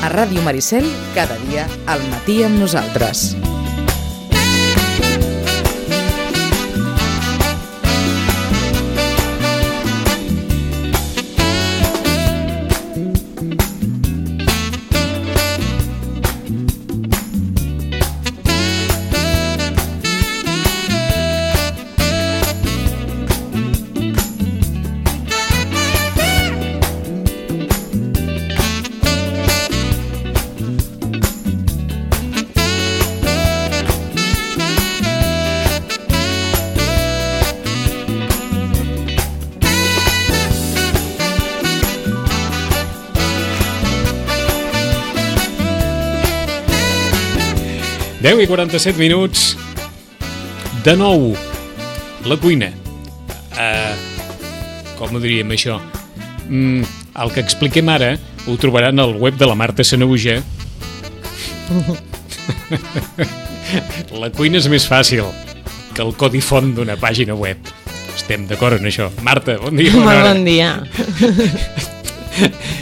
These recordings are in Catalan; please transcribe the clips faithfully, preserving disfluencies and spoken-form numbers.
A Ràdio Maricel, cada dia al matí amb nosaltres. deu i quaranta-set minuts. De nou, la cuina. Uh, com ho diríem, això? Mm, el que expliquem ara ho trobaran al web de la Marta Sanahuja. La cuina és més fàcil que el codi font d'una pàgina web. Estem d'acord en això. Marta, bon dia. Molt bon dia.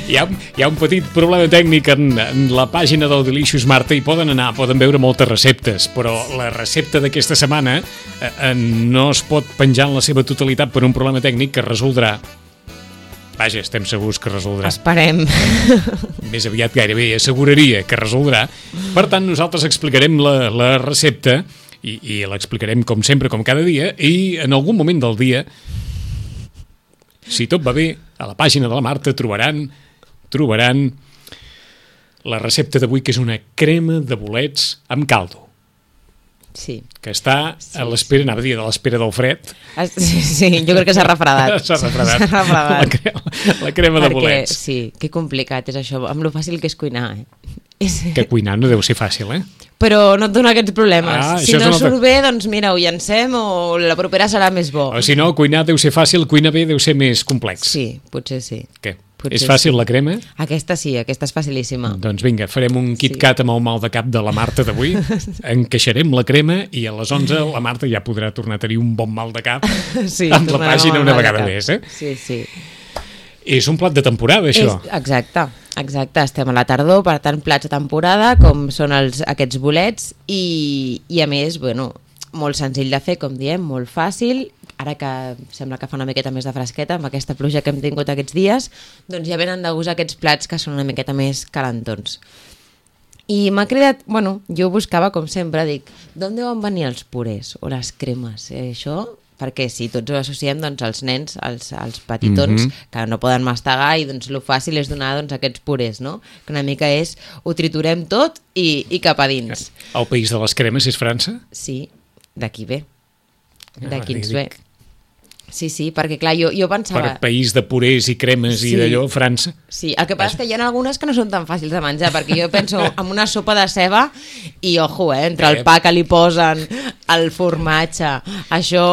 Hi ha, hi ha un petit problema tècnic en, en la pàgina del Delicious Marta i poden anar, poden veure moltes receptes, però la recepta d'aquesta setmana eh, eh, no es pot penjar en la seva totalitat per un problema tècnic que es resoldrà. Vaja, estem segurs que es resoldrà. Esperem. Més aviat gairebé asseguraria que es resoldrà. Per tant, nosaltres explicarem la, la recepta i, i l'explicarem com sempre, com cada dia, i en algun moment del dia, si tot va bé, a la pàgina de la Marta trobaran trobaran la recepta d'avui, que és una crema de bolets amb caldo. Sí. Que està sí, a l'espera, sí. Anava a dir, de l'espera del fred. Sí, sí, jo crec que s'ha refredat. S'ha refredat. S'ha refredat. La, crema, la crema Perquè, de bolets. Sí, que complicat és això, amb lo fàcil que és cuinar. Eh? Que cuinar no deu ser fàcil, eh? Però no et dona aquests problemes. Ah, si no altra... surt bé, doncs mira, ho llancem o la propera serà més bo. O si no, cuinar deu ser fàcil, cuinar bé deu ser més complex. Sí, potser sí. Què? Potser és fàcil sí. La crema? Aquesta sí, aquesta és facilíssima. Doncs vinga, farem un KitKat sí. Amb el mal de cap de la Marta d'avui, encaixarem la crema i a les onze la Marta ja podrà tornar a tenir un bon mal de cap sí, amb la pàgina una vegada més. Eh? Sí, sí. És un plat de temporada, això. És, exacte, exacte. Estem a la tardor, per tant, plats de temporada, com són els, aquests bolets, i, i a més, bueno, molt senzill de fer, com diem, molt fàcil. Ara que sembla que fa una miqueta més de fresqueta, amb aquesta pluja que hem tingut aquests dies, doncs ja venen de gust aquests plats que són una miqueta més calentons. I m'ha cridat, bueno, jo buscava, com sempre, dic, d'on deuen venir els purés o les cremes? Eh, això... Perquè si tots ho associem doncs, als nens, als, als petitons, mm-hmm. que no poden mastegar i doncs, el fàcil és donar doncs, aquests purés, no? Que una mica és, ho triturem tot i, i cap a dins. El país de les cremes és França? Sí, d'aquí ve. D'aquí ah, ens ve. Sí, sí, perquè clar, jo, jo pensava... Per país de purés i cremes sí. I d'allò, França. Sí, el que passa és que hi ha algunes que no són tan fàcils de menjar, perquè jo penso en una sopa de ceba i, ojo, eh, entre el pa que li posen, el formatge, això...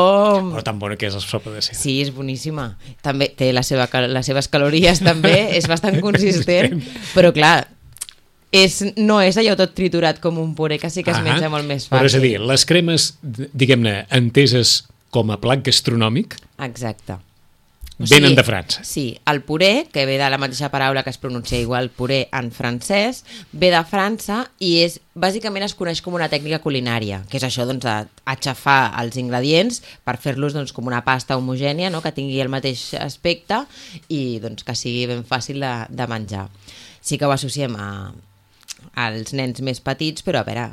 Però tan bona que és la sopa de ceba. Sí, és boníssima. També té la seva, les seves calories, també, és bastant consistent, però clar... És, no és allò tot triturat com un puré, que sí que es menja molt més fàcil. Però és a dir, les cremes, diguem-ne, enteses com a plat gastronòmic, exacte. O venen sigui, de França. Sí, el puré, que ve de la mateixa paraula que es pronuncia igual puré en francès, ve de França i és, bàsicament es coneix com una tècnica culinària, que és això doncs, d'aixafar els ingredients per fer-los doncs, com una pasta homogènia, no? Que tingui el mateix aspecte i doncs, que sigui ben fàcil de, de menjar. Sí que ho associem a, als nens més petits, però a veure...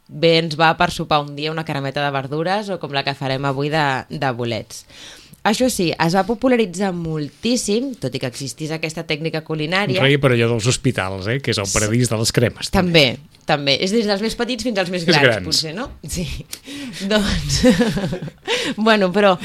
bé ens va per sopar un dia una carameta de verdures o com la que farem avui de, de bolets. Això sí, es va popularitzar moltíssim, tot i que existís aquesta tècnica culinària. Reia per allò dels hospitals, eh? Que és el paradís de les cremes. També, també. És des dels més petits fins als més grans, grans. potser, no? Sí. Doncs... bueno, però...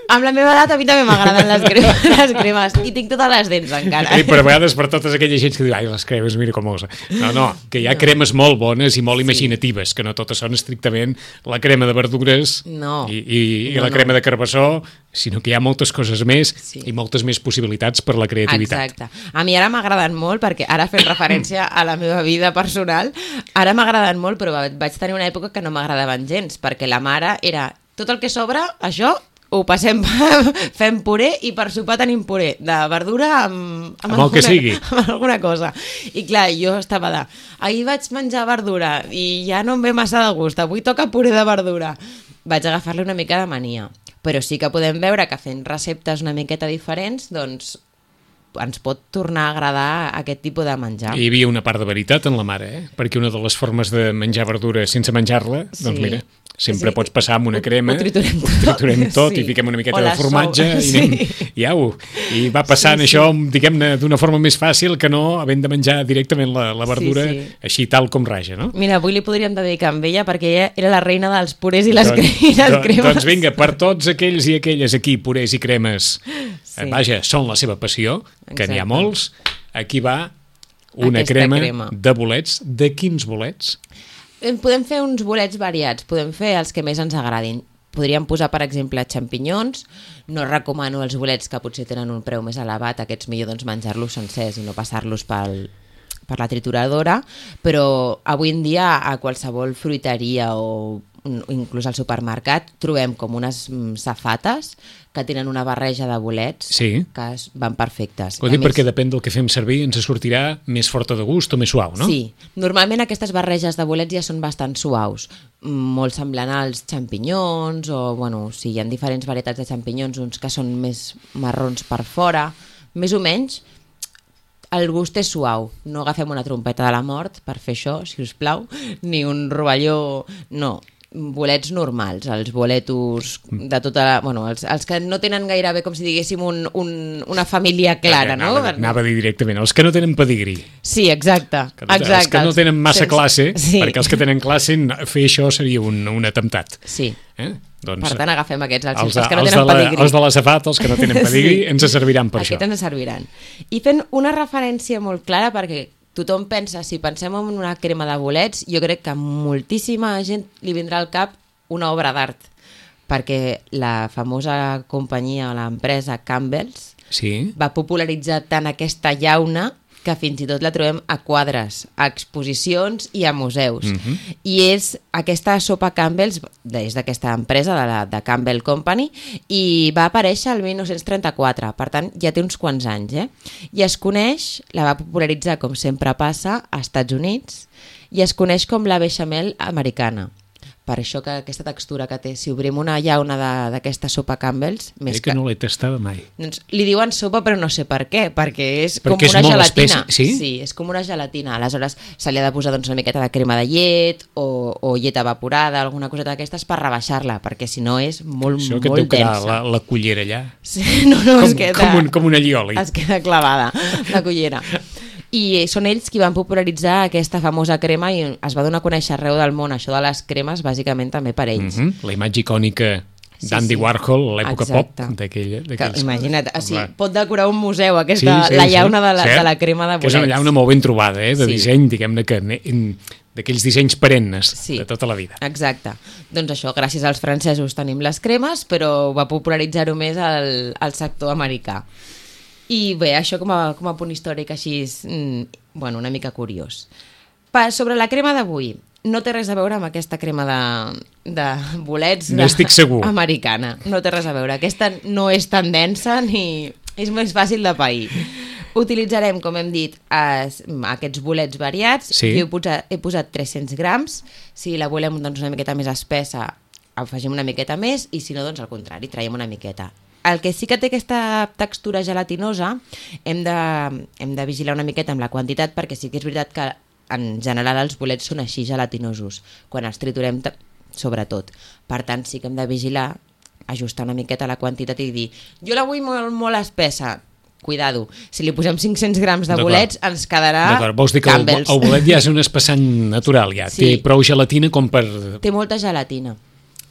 Amb la meva edat a mi també m'agraden les cremes, les cremes i tinc totes les dents encara. Sí, però a vegades per totes aquelles gent que diu ai, les cremes, mira com us... No, no, que hi ha no. cremes molt bones i molt sí. imaginatives, que no totes són estrictament la crema de verdures no. i, i, i no, la crema no. de carbassó, sinó que hi ha moltes coses més sí. i moltes més possibilitats per la creativitat. Exacte. A mi ara m'agraden molt, perquè ara fent referència a la meva vida personal, ara m'agraden molt, però vaig tenir una època que no m'agradaven gens, perquè la mare era tot el que sobra, això... ho passem, fem puré i per sopar tenim puré de verdura amb, amb, Amb el alguna, que sigui. amb alguna cosa. I clar, jo estava de, ahir vaig menjar verdura i ja no em ve massa de gust, avui toca puré de verdura. Vaig agafar-li una mica de mania. Però sí que podem veure que fent receptes una miqueta diferents, doncs ens pot tornar a agradar aquest tipus de menjar. Hi havia una part de veritat en la mare, eh? Perquè una de les formes de menjar verdura sense menjar-la, Sí. doncs mira, sempre Sí. pots passar amb una crema, Ho triturem tot. ho triturem tot Sí. i fiquem una miqueta O de la formatge sou. i anem, Sí. i au. I va passant Sí, sí. això, diguem-ne, d'una forma més fàcil que no havent de menjar directament la, la verdura Sí, sí. així tal com raja, no? Mira, avui li podríem dedicar amb ella perquè ella era la reina dels purés i les, Doncs- cre i les doncs- cremes. Doncs vinga, per tots aquells i aquelles aquí, purés i cremes, Sí. eh, vaja, són la seva passió, que n'hi ha Exacte. molts, aquí va una Aquesta crema, crema. de bolets. De quins bolets? Eh, Podem fer uns bolets variats, podem fer els que més ens agradin. Podríem posar, per exemple, xampinyons. No recomano els bolets que potser tenen un preu més elevat, aquests millor doncs, menjar-los sencers i no passar-los pel, per la trituradora, però avui en dia a qualsevol fruiteria o inclús al supermercat trobem com unes mm, safates que tenen una barreja de bolets Sí. que es- van perfectes. Ho I a dic més- perquè depèn del que fem servir ens sortirà més forta de gust o més suau, no? Sí, normalment aquestes barreges de bolets ja són bastant suaus, mm, molt semblant als xampinyons o, bueno, sí, hi ha diferents varietats de xampinyons, uns que són més marrons per fora, més o menys el gust és suau, no agafem una trompeta de la mort per fer això, si us plau, ni un rovelló, no, bolets normals, els boletos de tota la... Bueno, els, els que no tenen gairebé com si diguéssim un, un, una família clara, no? Anava, anava a dir directament, els que no tenen pedigrí. Sí, exacte. Que no, exacte. Els que no tenen massa Sense- classe, sí. perquè els que tenen classe, fer això seria un, un atemptat. Sí. Eh? Doncs, Per tant, agafem aquests, els, els, els que no els, tenen de la, pedigrí. els de la safata, els que no tenen pedigrí, Sí. ens serviran per Aquests això. ens serviran. I fent una referència molt clara, perquè tothom pensa, si pensem en una crema de bolets, jo crec que a moltíssima gent li vindrà al cap una obra d'art, perquè la famosa companyia o l'empresa Campbell's Sí? va popularitzar tant aquesta llauna que fins i tot la trobem a quadres, a exposicions i a museus. Mhm. I és aquesta sopa Campbell's, és d'aquesta empresa, de la de Campbell Company, i va aparèixer el dinou trenta-quatre, per tant ja té uns quants anys, eh? I es coneix, la va popularitzar com sempre passa, a Estats Units, i es coneix com la beixamel americana. Per això que aquesta textura que té, si obrim una llauna de- d'aquesta sopa Campbell's, més Eh, que no l'he tastada mai. doncs li diuen sopa però no sé per què, perquè és Perquè com és una molt gelatina. espessa, sí? Sí, és com una gelatina. Aleshores se li ha de posar doncs, una miqueta de crema de llet o, o llet evaporada, alguna coseta d'aquestes per rebaixar-la, perquè si no és molt, Això que et molt deu quedar densa. la, la cullera allà. Sí, no, no, Com, es queda, com, un, com una llioli. es queda clavada la cullera. I són ells qui van popularitzar aquesta famosa crema i es va donar a conèixer arreu del món. Això de les cremes, bàsicament, també per ells. Mhm. La imatge icònica Sí, d'Andy sí. Warhol, l'època pop, Exacte. d'aquella- Que, d'aquells... imagina't, o sigui, Clar. pot decorar un museu aquesta, la llauna de la, Cert, de la crema de bolets. Que és una llauna molt ben trobada, eh, de Sí. disseny, diguem-ne que ne- en- d'aquells dissenys perennes Sí. de tota la vida. Exacte. Doncs això, gràcies als francesos tenim les cremes, però va popularitzar-ho més el, el sector americà. I bé, això com a, com a punt històric així, és, mm, bueno, una mica curiós. Pa, sobre la crema d'avui, no té res a veure amb aquesta crema de, de bolets de, N'estic segur. americana. No té res a veure. Aquesta no és tan densa ni és més fàcil de pair. Utilitzarem, com hem dit, es, aquests bolets variats. Sí. Jo he posat, he posat tres-cents grams. Si la volem doncs, una miqueta més espessa, afegim una miqueta més, i si no, doncs al contrari, traiem una miqueta. El que sí que té aquesta textura gelatinosa, hem de, hem de vigilar una miqueta amb la quantitat, perquè sí que és veritat que en general els bolets són així gelatinosos, quan els triturem ta- sobretot. Per tant, sí que hem de vigilar, ajustar una miqueta la quantitat i dir, jo la vull molt, molt espessa, cuidado, si li posem cinc-cents grams de D'acord. bolets ens quedarà D'acord, vols dir que el, Campbell's. el bolet ja és un espessant natural, ja. Sí. Té prou gelatina com per... Té molta gelatina.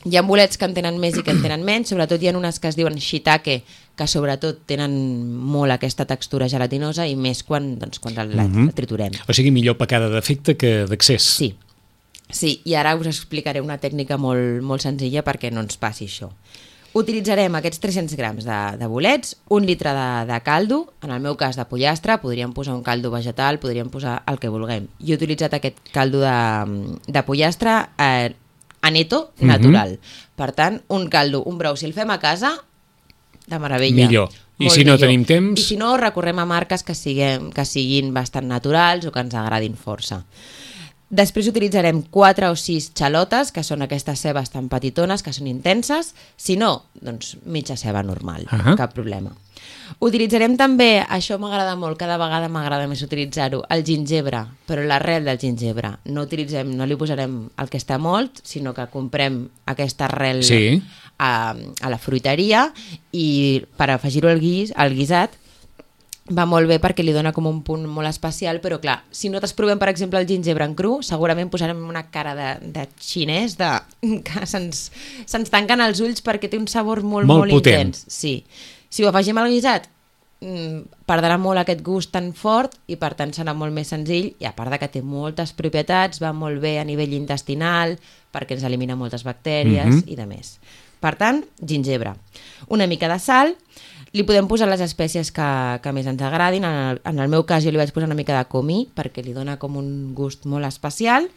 Hi ha bolets que en tenen més i que en tenen menys, sobretot hi ha unes que es diuen shiitake, que sobretot tenen molt aquesta textura gelatinosa i més quan, doncs, quan la, la, Mhm. la triturem. O sigui, millor pecar d'efecte que d'accés. Sí, sí, i ara us explicaré una tècnica molt, molt senzilla perquè no ens passi això. Utilitzarem aquests tres-cents grams de, de bolets, un litre de, de caldo, en el meu cas de pollastre, podríem posar un caldo vegetal, podríem posar el que vulguem. Jo he utilitzat aquest caldo de, de pollastre, eh, aneto natural. Mm-hmm. Per tant, un caldo, un brou, si el fem a casa, de meravella. Millor. I Molt si no millor. tenim temps... I si no, recorrem a marques que, siguem, que siguin bastant naturals o que ens agradin força. Després utilitzarem quatre o sis xalotes, que són aquestes cebes tan petitones, que són intenses. Si no, doncs mitja ceba normal, uh-huh. cap problema. Utilitzarem també, això m'agrada molt, cada vegada m'agrada més utilitzar-ho, el gingebre, però l'arrel del gingebre. No utilitzem, no li posarem el que està molt, sinó que comprem aquesta arrel sí. a, a la fruiteria i per afegir-ho al, guis, al guisat va molt bé perquè li dona com un punt molt especial, però clar, si nosaltres provem, per exemple, el gingebre en cru, segurament posarem una cara de, de xinès de, que se'ns se'ns tanquen els ulls perquè té un sabor molt, molt, molt potent. intens. Sí. Si ho afegim al guisat, perdrà molt aquest gust tan fort i per tant serà molt més senzill, i a part de que té moltes propietats, va molt bé a nivell intestinal perquè ens elimina moltes bactèries mm-hmm. i de més. Per tant, gingebre. Una mica de sal, li podem posar les espècies que, que més ens agradin. En el, en el meu cas jo li vaig posar una mica de comí perquè li dona com un gust molt especial.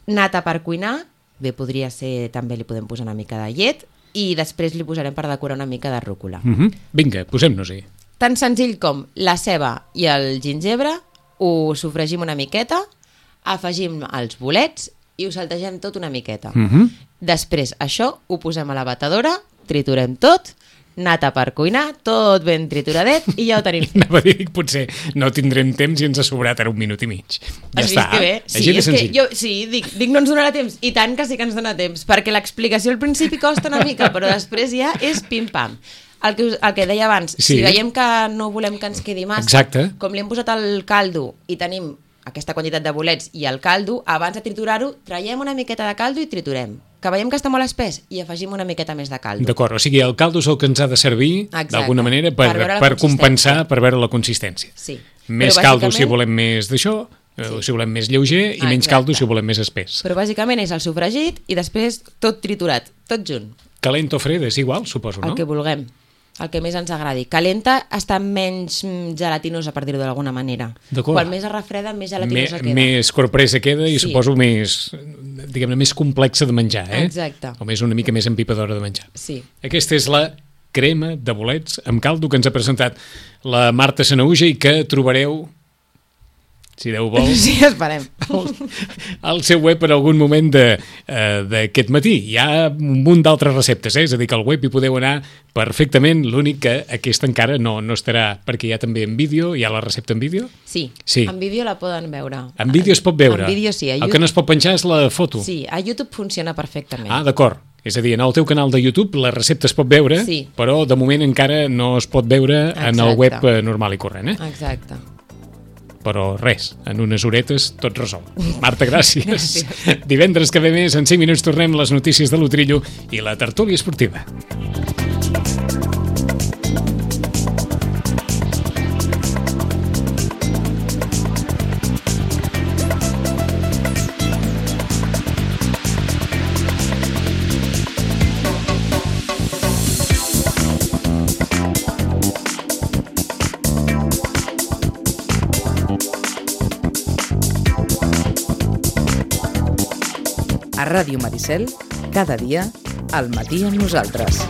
Nata per cuinar, bé, podria ser, també li podem posar una mica de llet, i després li posarem per decorar una mica de rúcula. Mm-hmm. Vinga, posem-nos-hi. Tan senzill com la ceba i el gingebre, ho sofregim una miqueta, afegim els bolets i ho saltegem tot una miqueta. Mm-hmm. Després això ho posem a la batedora, triturem tot, nata per cuinar, tot ben trituradet i ja ho tenim fet. Anava a dir, potser no tindrem temps i ens ha sobrat ara un minut i mig. Ja Has està. vist que bé? Sí, és que jo, sí, dic, dic no ens donarà temps. I tant que sí que ens dona temps, perquè l'explicació al principi costa una mica, però després ja és pim-pam. El que, el que deia abans, sí. Si veiem que no volem que ens quedi massa, exacte. Com li hem posat el caldo i tenim aquesta quantitat de bolets i el caldo, abans de triturar-ho, traiem una miqueta de caldo i triturem. Que veiem que està molt espès i afegim una miqueta més de caldo. D'acord, o sigui, el caldo és el que ens ha de servir d'alguna manera per, per, per compensar, per veure la consistència. Sí. Més Però caldo bàsicament... si volem més d'això, sí. Si volem més lleuger, i Exacte. Menys caldo si volem més espès. Però bàsicament és el sofregit i després tot triturat, tot junt. Calent o fred és igual, suposo, no? El que vulguem. El que més ens agradi. Calenta està menys gelatinosa, per dir-ho d'alguna manera. Quan més es refreda, més gelatinosa queda. Més corpresa queda i sí. Suposo més, diguem-ne, més complexa de menjar, eh? Exacte. O més una mica més empipadora de menjar. Sí. Aquesta és la crema de bolets amb caldo que ens ha presentat la Marta Sanahuja i que trobareu, si Déu vol, sí, esperem. Al, al seu web en algun moment d'aquest uh, matí. Hi ha un munt d'altres receptes, eh? És a dir, que al web hi podeu anar perfectament, l'únic que aquesta encara no, no estarà, perquè hi ha també en vídeo, hi ha la recepta en vídeo? Sí, sí. En vídeo la poden veure. En vídeo es pot veure? En vídeo sí. El que no es pot penjar és la foto? Sí, a YouTube funciona perfectament. Ah, d'acord. És a dir, en el teu canal de YouTube la recepta es pot veure, sí. Però de moment encara no es pot veure Exacte. En el web normal i corrent, eh? Exacte. Però res, en unes horetes tot resol. Marta, gràcies. gràcies. Divendres que ve més, en cinc minuts tornem les notícies de l'Utrillo i la tertúlia esportiva. A Ràdio Maricel, cada dia, al matí amb nosaltres.